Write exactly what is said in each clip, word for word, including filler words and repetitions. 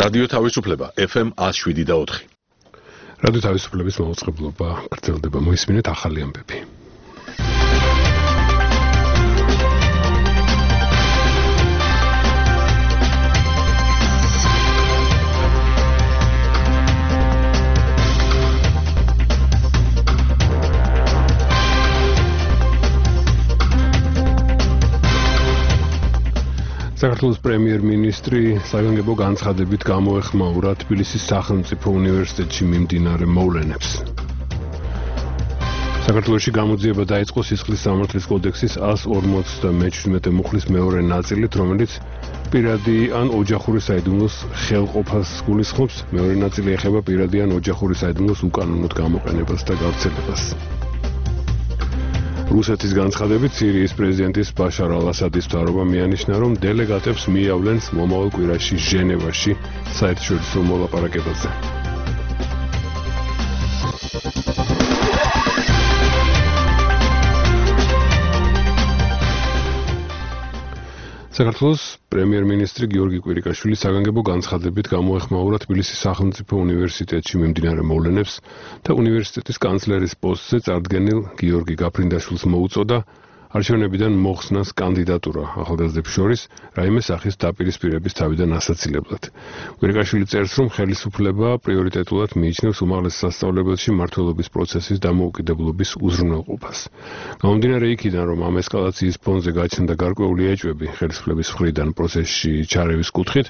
რადიო თავისუფლება F M one oh seven და four. რადიო თავისუფლების მაუწყებლობა გრძელდება. მოისმინეთ ახალი ამბები. საქართველოს პრემიერ-მინისტრი საგანგებო განცხადებით გამოეხმაურა თბილისის სახელმწიფო უნივერსიტეტში მიმდინარე მოვლენებს. საქართველოში გამოძიება დაიწყო სისხლის სამართლის კოდექსის one forty-seven მუხლის მეორე ნაწილით, რომელიც პირადი ან ოჯახური საიდუმლოს ხელყოფას გულისხმობს. მეორე ნაწილი ეხება პირადი ან ოჯახური საიდუმლოს უკანონოდ გამოყენებას და გავრცელებას. რუსეთის განცხადებით სირიის პრეზიდენტის ბაშარ ალ-ასადის მთავრობა მიანიშნა, რომ დელეგატებს მიავლენს მომავალ კვირაში ჟენევაში საერთაშორისო მოლაპარაკებაზე. საქართველოს პრემიერ-მინისტრი გიორგი კვირიკაშვილი საგანგებო განცხადებით გამოეხმაურა თბილისის სახელმწიფო უნივერსიტეტში მიმდინარე მოვლენებს და უნივერსიტეტის კანცლერის პოსტზე წარდგენილ გიორგი გაფრინდაშვილს მოუწოდა არჩევნებიდან მოხსნას კანდიდატურა ახალგაზრდებს შორის რაიმე სახის დაპირისპირების თავიდან ასაცილებლად. კვირიკაშვილი წერს, რომ ხელისუფლება პრიორიტეტულად მიიჩნევს უმაღლეს სასწავლებელში მმართველობის პროცესის დამოუკიდებლობის უზრუნველყოფას. გამომდინარე იქიდან, რომ ამ ესკალაციის ფონზე გაჩნდა გარკვეული ეჭვები ხელისუფლების მხრიდან პროცესში ჩარევის კუთხით,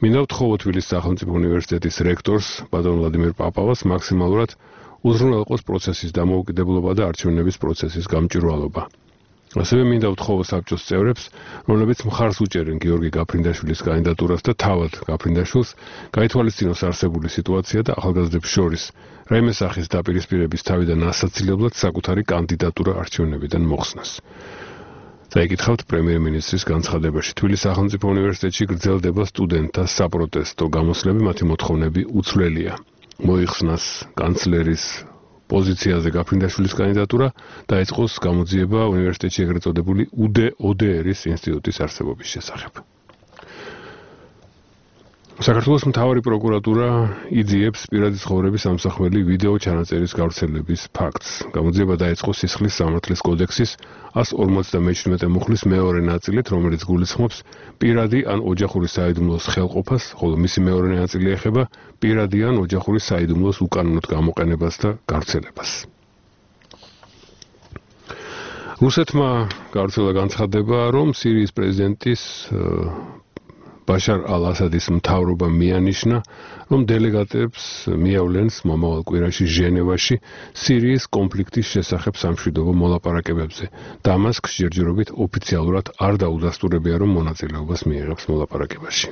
მინდა ვთხოვო თბილისის სახელმწიფო უნივერსიტეტის რექტორს ბატონ ვლადიმერ პაპავას მაქსიმალურად უზრუნველყოს პროცესის დამოუკიდებლობა და არჩევნების პროცესის გამჭვირვალობა. ასევე მინდა ვთხოვო საბჭოს წევრებს, რომლებიც მხარს უჭერენ გიორგი გაფრინდაშვილის კანდიდატურას და თავად გაფრინდაშვილს, გაითვალისწინოს არსებული სიტუაცია და ახალგაზრდებს შორის რაიმე სახის დაპირისპირების თავიდან ასაცილებლად საკუთარი კანდიდატურა არჩევნებიდან მოხსნას. წაიკითხავთ პრემიერ-მინისტრის განცხადებაში. თბილისის სახელმწიფო უნივერსიტეტში გრძელდება სტუდენტთა საპროტესტო გამოსვლები, მათი მოთხოვნები უცვლელია. მოიხსნას კანცლერის პოზიციაზე გაფრინდაშვილის კანდიდატურა, დაიწყოს გამოძიება უნივერსიტეტში ეგრეთ წოდებული U D O D R-ის ინსტიტუტის არსებობის შესახებ. საქართველოს მთავარი პროკურატურა იძიებს პირადი ცხოვრების ამსახველი ვიდეო ჩანაწერის გავრცელების ფაქტს. გამოძიება დაიწყო სისხლის სამართლის კოდექსის one forty-seven მუხლის მეორე ნაწილით, რომელიც გულისხმობს პირადი ან ოჯახური საიდუმლოს ხელყოფას, ხოლო მისი მეორე ნაწილი ეხება პირადი ან ოჯახური საიდუმლოს უკანონოდ გამოყენებას და გავრცელებას. რუსეთმა გავრცელა განცხადება, რომ სირიის პრეზიდენტის ბაშარ ალ-ასადის მთავრობა მიანიშნა, რომ დელეგატებს მიავლენს მომავალ კვირაში ჟენევაში სირიის კონფლიქტის შესახებ სამშვიდობო მოლაპარაკებებზე. დამასკს ჯერჯერობით ოფიციალურად არ დაუდასტურებია, რომ მონაწილეობას მიიღებს მოლაპარაკებაში.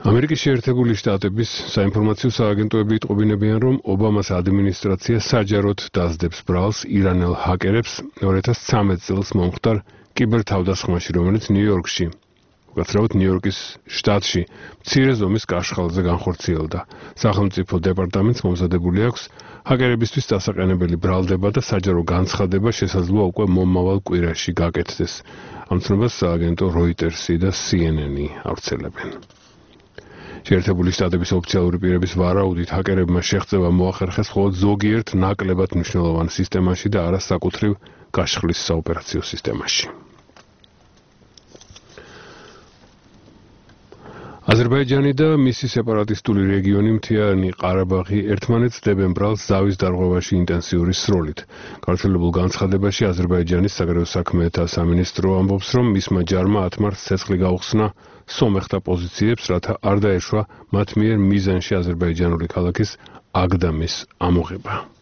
ამერიკის შეერთებული შტატების საინფორმაციო სააგენტოები იტყობინებიან, რომ ობამას ადმინისტრაცია საჯაროდ დასდებს ბრალს ირანელ ჰაკერებს two thousand thirteen წელს მომხდარ კიბერთავდასხმაში, რომელიც ნიუ-იორკში უკაცრავად ნიუ-იორკის შტატში მცირე ზომის კაშხალზე განხორციელდა. სახელმწიფო დეპარტამენტს მომზადებული აქვს ჰაკერებისთვის დასაყენებელი ბრალდება და საჯარო განცხადება შესაძლოა უკვე მომავალ კვირაში გაკეთდეს. ამ ცნობას სააგენტო Reuters-ი და C N N-ი ავრცელებენ. შეერთებული შტატების ოფიციალური პირების ვარაუდით ჰაკერებმა შეღწევა მოახერხეს მხოლოდ ზოგიერთ ნაკლებად მნიშვნელოვან სისტემაში და არა საკუთრივ გაშხლის საოპერაციო სისტემაში. აზერბაიჯანი და მისი სეპარატისტული რეგიონი მთიანი ყარაბაღი ერთმანეთს დებენ ბრალს ზავის დარღვევაში ინტენსიური სროლით. გავრცელებულ განცხადებაში აზერბაიჯანის საგარეო საქმეთა სამინისტრო ამბობს, რომ მისმა ჯარმა ათ მარტს ცეცხლი გაუხსნა სომეხთა პოზიციებს, რათა არ დაეშვა მათ მიერ მიზანში აზერბაიჯანული ქალაქის აგდამის ამოღება.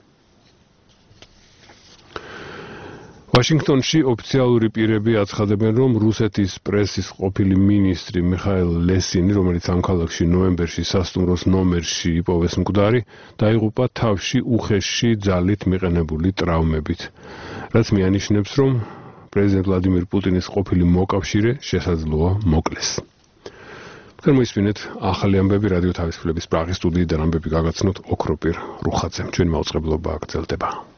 ვაშინგტონში ოფიციალური პირები აცხადებენ, რომ რუსეთის პრესის ყოფილი მინისტრი მიხაილ ლესინი, რომელიც ამ ქალაქში ნოემბერში სასტუმროს ნომერში იპოვეს მკვდარი, დაიღუპა თავში უხეში ძალით მიყენებული ტრავმებით, რაც მიანიშნებს, რომ პრეზიდენტ ვლადიმირ პუტინის ყოფილი მოკავშირე შესაძლოა მოკლეს. მოისმინეთ ახალი ამბები რადიო თავისუფლების პრაღის სტუდიიდან ამბები გაგაცნოთ ოქროპირ რუხაძემ. ჩვენი მაუწყებლობა გრძელდება.